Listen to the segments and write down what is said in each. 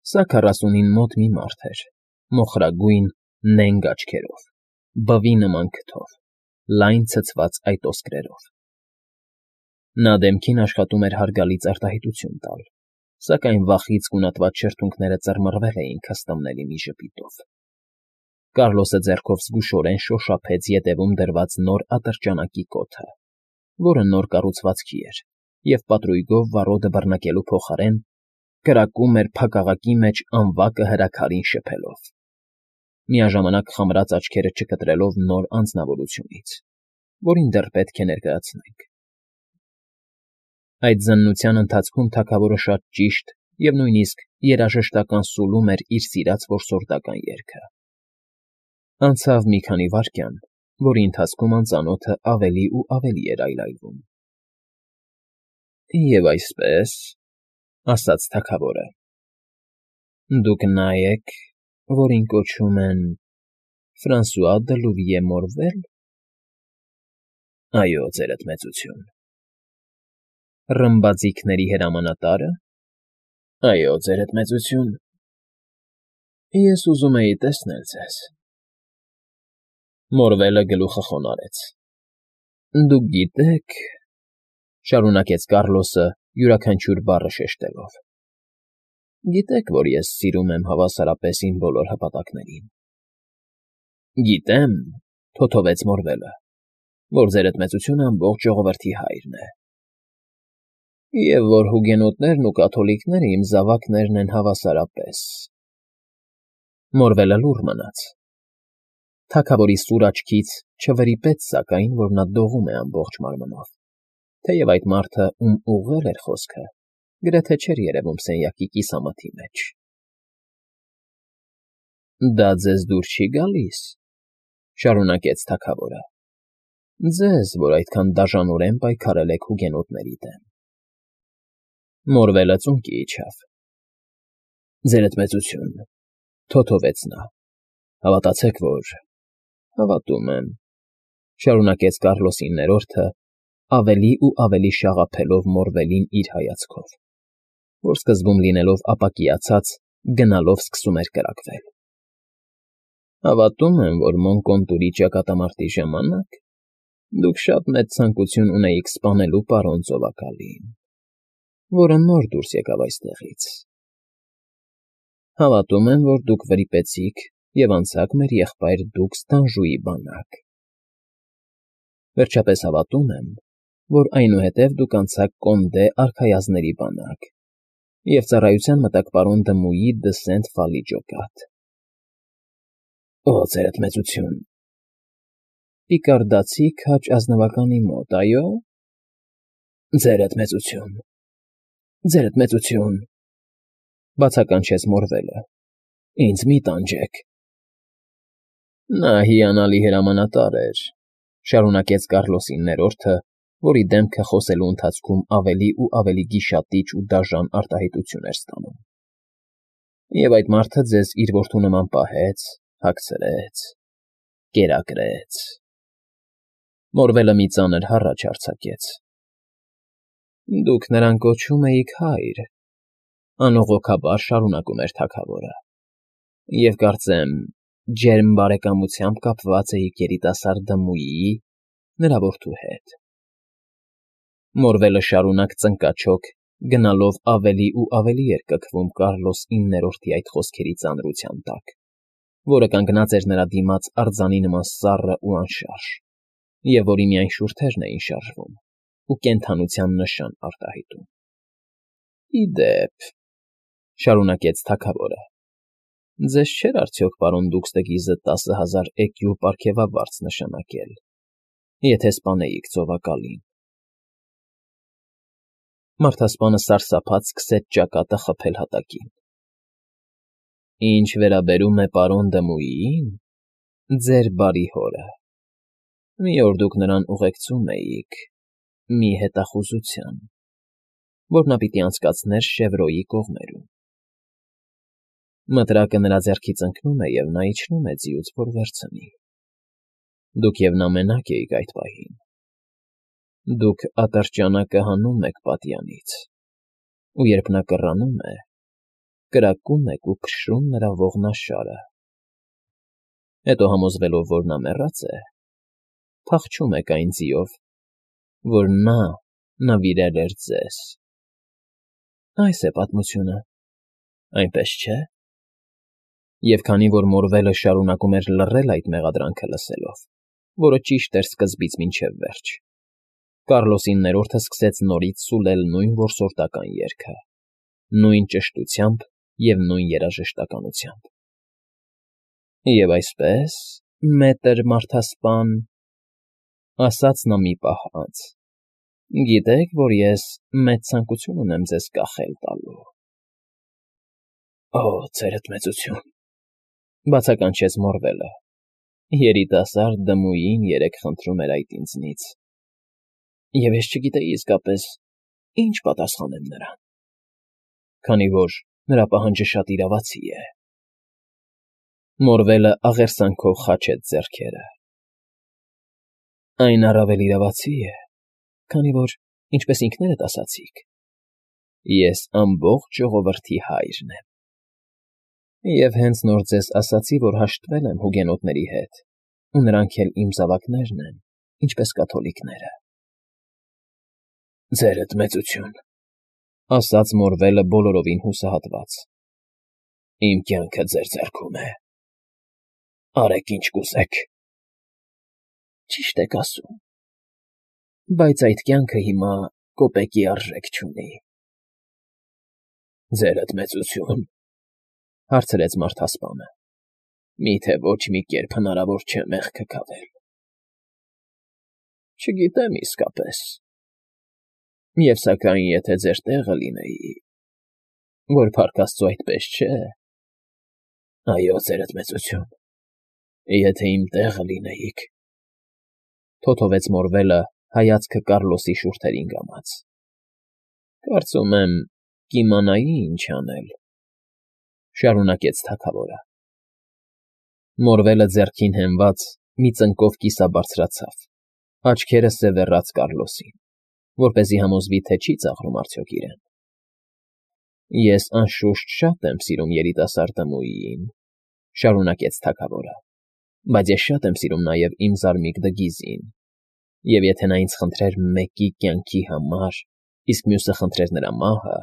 Սա 40-ին մոտ մի մարդ էր, մոխրագույն, նենգ աչքերով, բվի նման քթով, լայն ցցված այտոսկրերով. նա դեմքին աշխատում էր հարգալից արտահայտություն տալ, սակայն վախից գունատված շրթունքները ծռմռվել էին քստմնելի մի ժպիտով։ Կառլոսը ձեռքով զգուշորեն շոշափեց ետևում դրված նոր ատրճանակի կոթը, որը նոր կառուցվածքի էր, և պատրույգով վառոդը բռնկելու փոխարեն կրակում էր փակաղակի մեջ անվակը հրաքարին շփելով, միաժամանակ խմրած աչքերը չկտրելով նոր անձնավորությունից, որին դեռ պետք է ներկայացնենք։ Այդ զննության ընթացքում թագավորը շատ ճիշտ և նույնիսկ երաժշտական սուլում էր իր սիրած որսորդական երգը։ Անցավ մի քանի վայրկյան, որի ընթացքում անծանոթը ավելի ու ավելի էր այլայլվում։ «Եվ այսպես,֊ ասաց թագավորը,֊ դուք նա եք, որին կոչում են Ֆրանսուଆ դը Լուվիե Մորվել։ ֊ Այո, ձերդ մեծություն։ ֊ Ռմբաձիգների հրամանատա՞րը։ ֊ Այո, ձերդ մեծություն։ ֊ Ես ուզում էի տեսնել ձեզ։ Մորվելը գլուխը խոնարհեց։ ֊ Դուք գիտեք,֊ շարունակեց Կառլոսը յուրաքանչյուր բառը շեշտելով,֊ գիտեք, որ ես սիրում եմ հավասարապես իմ բոլոր հպատակներին։ ֊ Գիտեմ,֊ թոթովեց Մորվելը,֊ որ ձերդ մեծությունը ամբողջ ժողովրդի հայրն է։ Եվ որ հուգենոտներն ու կաթոլիկները իմ զավակներն են հավասարապես։ Մորվելը լուռ մնաց։ Թագավորի սուր աչքից չվրիպեց սակայն, որ նա դողում է ամբողջ մարմնով, թեև այդ մարդը, ում ուղղել էր խոսքը, գրեթե չէր երևում սենյակի կիսամութի մեջ։ ֊ Դա ձեզ դուր չի գալիս,֊ շարունակեց թագավորը,֊ ձեզ, որ այդքան դաժանորեն պայքարել եք հուգենոտների դեմ։ Մորվելը ծունկի իջավ։ ֊ Ձերդ մեծություն,֊ թոթովեց նա,֊ հավատացեք, որ… Հավատում եմ,֊ շարունակեց Կառլոսի ներորդը, ավելի ու ավելի շաղափելով Մորվելին իր հայացքով, որ սկզբում լինելով ապակիացած, գնալով սկսում էր կրակվել։ Հավատում եմ, որ Մոնկոնտուրի ճակատամարտի ժամանակ դուք շատ մեծ ցանկություն ունեիք սպանելու պարոն ծովակալին, որը նոր դուրս եկավ այստեղից։ Հավատում եմ, որ դուք վրիպեցիք և անցաք մեր եղբայր դուքս Դանժուի բանակ։ Վերջապես հավատում եմ, որ այնուհետև դուք անցաք Կոնդե արքայազնների բանակ և ծառայության մտաք պարոն Դմուի դը Սենտ֊Ֆալի ջոկատ։ ֊ Օ, ձերդ մեծություն… Պիկարդացի քաջ ազնվականի մոտ, այո։ ֊ Ձերդ մեծություն… Ձերդ մեծություն…֊ բացականչեց Մորվելը։֊ Ինձ մի տանջեք։ Նա հիանալի հրամանատար էր,֊ շարունակեց Կառլոսի ներորդը, որի դեմքը խոսելու ընթացքում ավելի ու ավելի գիշատիչ ու դաժան արտահայտություն էր ստանում։ Եվ այդ մարդը ձեզ իր որդու նման պահեց, հագցրեց, կերակրեց… Մորվելը մի ծանր հառաչ արձակեց։ ֊ Դուք նրան կոչում էիք հայր,֊ անողոքաբար շարունակում էր թագավորը,֊ և կարծեմ, ջերմ բարեկամությամբ կապված էիք երիտասարդ Դմուիի, նրա որդու հետ։ Մորվելը շարունակ ծնկաչոք, գնալով ավելի ու ավելի էր կքվում Կառլոս IX-ի այդ խոսքերի ծանրության տակ, որը կանգնած էր նրա դիմաց արձանի նման սառը ու անշարժ, և որի միայն շուրթերն էին շարժվում ու կենդանության նշան արտահայտում։ ֊ Ի դեպ,֊ շարունակեց թագավորը,֊ ձեզ չէր արդյոք պարոն Դուքսդգիզը 10,000 էկյու պարգևավարձ նշանակել, եթե սպանեիք ծովակալին։ Մարդասպանը սարսափած սկսեց ճակատը խփել հատակին։ ֊ Ինչ վերաբերում է պարոն Դմուիին, ձեր բարի հորը, մի օր դուք նրան ուղեկցում էիք մի հետախուզության, որ նա պիտի անցկացներ Շևրոյի կողմերում։ Մտրակը նրա ձեռքից ընկնում է, և նա իջնում է ձիուց, որ վերցնի։ Դուք և նա մենակ էիք այդ պահին։ Դուք ատրճանակը հանում եք պատյանից, ու երբ նա կռանում է, կրակում եք ու քշում նրա ողնաշարը։ Հետո համոզվելով, որ նա մեռած է, փախչում եք այն ձիով, որ նա նվիրել էր ձեզ։ Այս է պատմությունը, այնպես չէ՞։ Եվ քանի որ Մորվելը շարունակում էր լռել այդ մեղադրանքը լսելով, որը ճիշտ էր սկզբից մինչև վերջ, Կառլոսին ներորդը սկսեց նորից սուլել նույն որսորդական երգը, նույն ճշտությամբ և նույն երաժշտականությամբ։ Եվ այսպես, մետր մարդասպան, ասաց նա մի պահ անց, գիտեք, որ ես մեծ ցանկություն ունեմ ձեզ կախել տալու։ Օ, ձերդ մեծություն, բացականչեց Մորվելը, երիտասարդ դմույին երեկ խնդրում էր այդ ինձնից, և ես չգիտեի իսկապես ինչ պատասխանեմ նրան, քանի որ նրա պահանջը շատ իրավացի է։ Մորվելը աղերսանքով խաչեց ձեռքերը։ Այն առավել իրավացի է, քանի որ, ինչպես ինքներդ ասացիք, ես ամբողջ ժողովրդի հայրն եմ։ Եվ հենց նոր ձեզ ասացի, որ հաշտվել եմ հուգենոտների հետ, ու նրանք էլ իմ զավակներն են, ինչպես կաթոլիկները։ Ձերդ մեծություն, ասաց Մորվելը բոլորովին հուսահատված, իմ կյանքը ձեր ձեռքում է։ Արեք ինչ կուզեք։ Ճիշտ եք ասում, բայց այդ կյանքը հիմա կոպեկի արժեք չունի։ Ձերդ մեծություն, հարցրեց մարդասպանը, միթե ոչ մի կերպ հնարավոր չէ մեղքը քավել։ Չգիտեմ իսկապես։ Եվ սակայն եթե ձեր տեղը լինեի, որ փառք Աստծո այդպես չէ, այո, ձերդ մեծություն, եթե իմ տեղը լինեիք, թոթովեց Մորվելը հայացքը Կառլոսի շուրթերին կամաց, կարծում եմ, կիմանայի ինչ անել, շարունակեց թագավորը։ Մորվելը ձեռքին հենված մի ծնկով կիսաբարձրացավ, աչքերը սևեռաց Կառլոսին, որպեսզի համոզվի, թե չի ծաղրում արդյոք իրեն։ Ես անշուշտ շատ եմ սիրում երիտասարդ դմույին, շարունակեց թագավորը, բայց ես շատ եմ սիրում նաև իմ զարմիկ Դգիզին, և եթե նա ինձ խնդրեր մեկի կյանքի համար, իսկ մյուսը խնդրեր նրա մահը,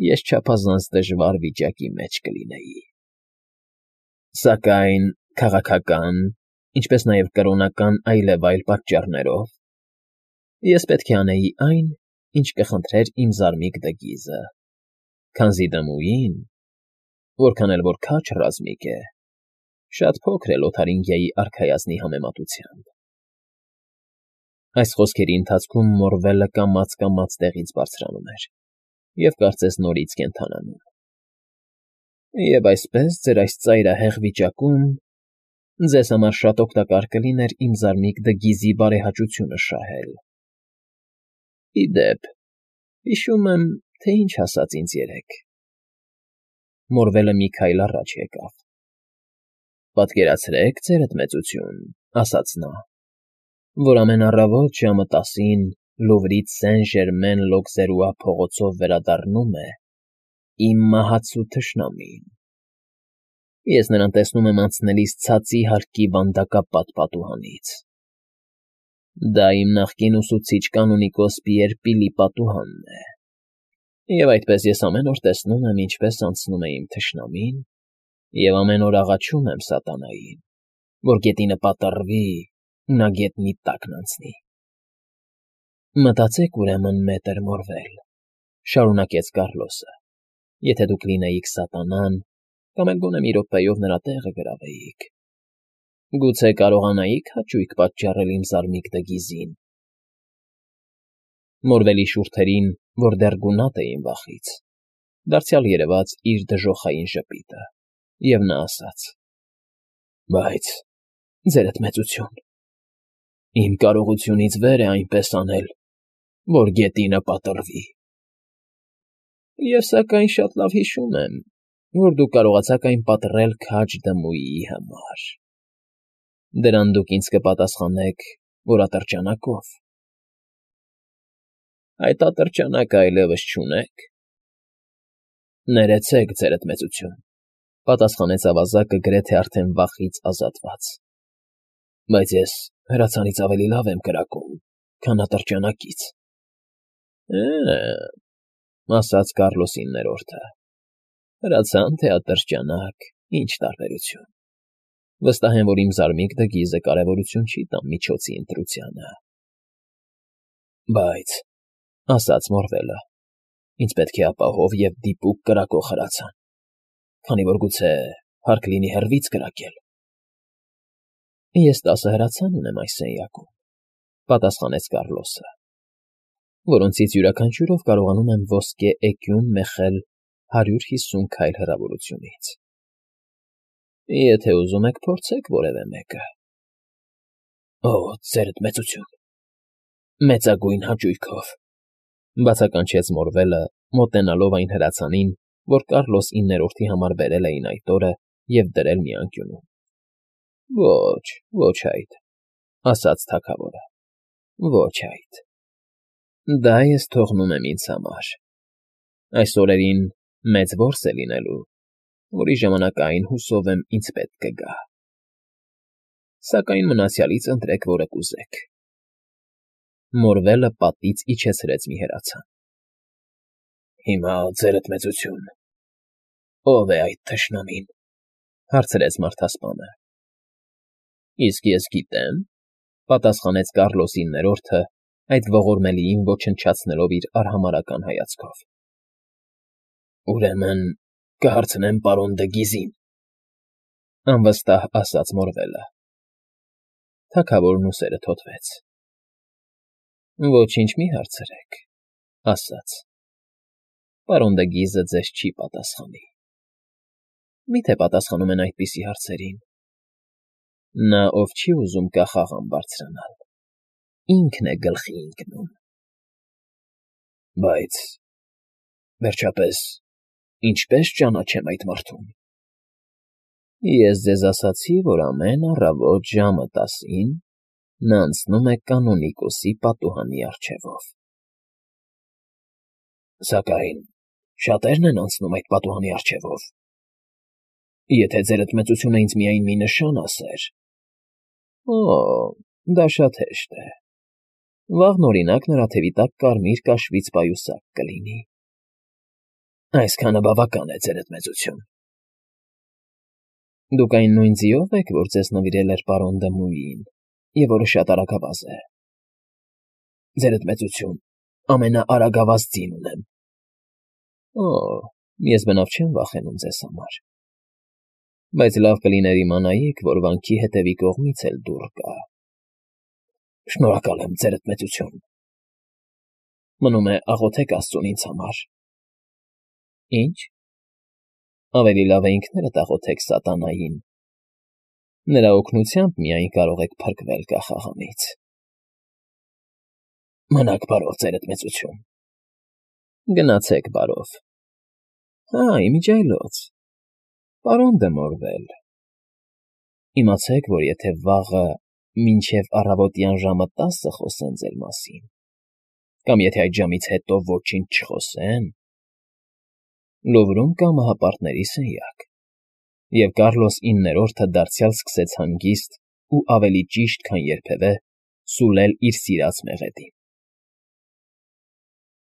ես չափազանց դժվար վիճակի մեջ կլինեի։ Սակայն քաղաքական, ինչպես նաև կրոնական այլևայլ պատճառներով ես պետք է անեի այն, ինչ կխնդրեր իմ զարմիկ Դգիզը, քանզի դմույին, որքան էլ որ քաջ ռազմիկ է, շատ փոքր է Լոթարինգիայի արքայազնի համեմատությամբ։ Այս խոսքերի ընթացքում Մորվելը կամաց տեղից բարձրանում էր և կարծես նորից կենդանանում։ Եվ այսպես ձեր այս ծայրահեղ վիճակում ձեզ համար շատ օգտակար կլիներ իմ զարմիկ Դգիզի բարեհաճությունը շահել։ Ի դեպ, հիշում եմ, թե ինչ ասաց ինձ երեկ։ Մորվելը մի քայլ առաջ եկավ։ Պատկերացրեք, ձերդ մեծություն, ասաց նա, որ ամեն առավոտ ժամը 10-ին Լուվրից Սեն-Ժերմեն-Լոկզերուա փողոցով վերադառնում է իմ մահացու թշնամին։ Ես նրան տեսնում եմ անցնելիս ցածի հարկի վանդակապատ պատուհանից։ Դա իմ նախկին ուսուցիչ կանոնիկոս Պիեր Պիլի պատուհանն է։ Եվ այդպես ես ամեն օր տեսնում եմ, ինչպես անցնում է իմ թշնամին, և ամեն օր աղաչում եմ սատանային, որ գետինը պատռվի ու նա գետնի տակն անցնի։ Մտածեք, ուրեմն, մետր Մորվել, շարունակեց Կառլոսը, եթե դուք լինեիք սատանան, կամ էլ գոնե մի րոպեով նրա տեղը գրավեիք, գուցե կարողանայի՞ք հաճույք պատճառել իմ զարմիկ Դգիզին։ Մորվելի շուրթերին, որ դեռ գունատ էին վախից, դարձյալ երևաց իր դժոխային ժպիտը, և նա ասաց. Բայց, ձերդ մեծություն, իմ կարողությունից վեր է այնպես անել, որ գետինը պատռվի։ Եվ սակայն շատ լավ հիշում եմ, որ դուք կարողացաք այն պատռել քաջ դմույի համար։ Դրան դուք ինձ կպատասխանեք, որ ատրճանակով։ Այդ ատրճանակը այլևս չունե՞ք։ Ներեցեք, ձերդ մեծություն, պատասխանեց ավազակը գրեթե արդեն վախից ազատված։ Բայց ես հրացանից ավելի լավ եմ կրակում, քան ատրճանակից։ Ասաց Կառլոսին ներորդը։ Հրացան թե ատրճանակ, ինչ տարբերություն։ Վստահ եմ, որ իմ զարմիկը գիզը կարևորություն չի տամ միջոցի ընտրությանը։ Բայց, ասաց Մորվելը, ինձ պետք է ապահով և դիպուկ կրակող հրացան, քանի որ գուցե հարկ լինի հեռվից կրակել։ Ես 10 հրացան ունեմ այս սենյակում, պատասխանեց Կառլոսը, որոնցից յուրաքանչյուրով կարողանում եմ ոսկե էկյուն մեխել 150 քայլ հեռավորությունից։ Եթե ուզում եք, փորձեք որևէ մեկը։ Ձերդ մեծություն, մեծագույն հաճույքով, բացականչեց Մորվելը, մոտենալով այն հրացանին, որ Կառլոս 9-րդի համար բերել էին այդ օրը և դրել մի անկյունում։ Ոչ այդ, ասաց թագավորը, ոչ այդ։ Դա ես թողնում եմ ինձ համար։ Այս օրերին մեծ որս է լինելու, որի ժամանակային հուսով եմ ինձ պետք կգա։ Սակայն մնացյալից ընտրեք, որը կուզեք։ Մորվելը պատից իջեցրեց մի հրացան։ Հիմա, ձերդ մեծություն, ո՞վ է այդ թշնամին, հարցրեց մարդասպանը։ Իսկ ես գիտեմ, պատասխանեց Կառլոս 9-րդը, այդ ողորմելիին ոչնչացնելով իր արհամարհական հայացքով։ Ուրեմն կհարցնեմ պարոն դը Գիզին, անվստահ ասաց Մորվելը։ Թագավորն ուսերը թոթվեց։ Ոչինչ մի հարցրեք, ասաց։ Պարոն դը Գիզը ձեզ չի պատասխանի։ Միթե պատասխանում են այդպիսի հարցերին։ Նա, ով չի ուզում կախաղան բարձրանալ, ինքն է գլխի ընկնում։ Բայց, վերջապես, ինչպե՞ս ճանաչեմ այդ մարդուն։ Ես ձեզ ասացի, որ ամեն առավոտ ժամը 10-ին նա անցնում է կանոնիկոսի պատուհանի առջևով։ Սակայն շատերն են անցնում այդ պատուհանի առջևով։ Եթե ձերդ մեծությունը ինձ միայն մի նշան ասեր… Դա շատ հեշտ է։ Վաղն, օրինակ, նրա թևի տակ կարմիր կաշվից պայուսակ կլինի։ Այսքանը բավական է, ձերդ մեծություն։ Դուք այն նույն ձիով եք, որ ձեզ նվիրել էր պարոն դը Մուիին, և որը շատ արագավազ է։ Ձերդ մեծություն, ամենաարագավազ ձին ունեմ։ Ես բնավ չեմ վախենում ձեզ համար։ Բայց լավ կլիներ իմանայիք, որ վանքի հետևի կողմից էլ դուռ կա։ Շնորհակալ եմ, ձերդ մեծություն։ Մնում է աղոթեք Աստծուն ինձ համար։ Ինչ։ Ավելի լավ է ինքներդ աղոթեք սատանային։ Նրա օգնությամբ միայն կարող եք փրկվել կախաղանից։ Մնաք բարով, ձերդ մեծություն։ Գնացեք բարով։ Իմիջիայլոց։ Պարոն դը Մորվել, իմացեք, որ եթե վաղը մինչև առավոտյան ժամը 10 խոսեն ձեր մասին, կամ եթե այդ ժամից հետո ոչինչ չխոսեն, Լուվրում կա մահապարտների սենյակ, և Կառլոս 9-րդը դարձյալ սկսեց հանգիստ ու ավելի ճիշտ, քան երբևէ, սուլել իր սիրած մեղեդին։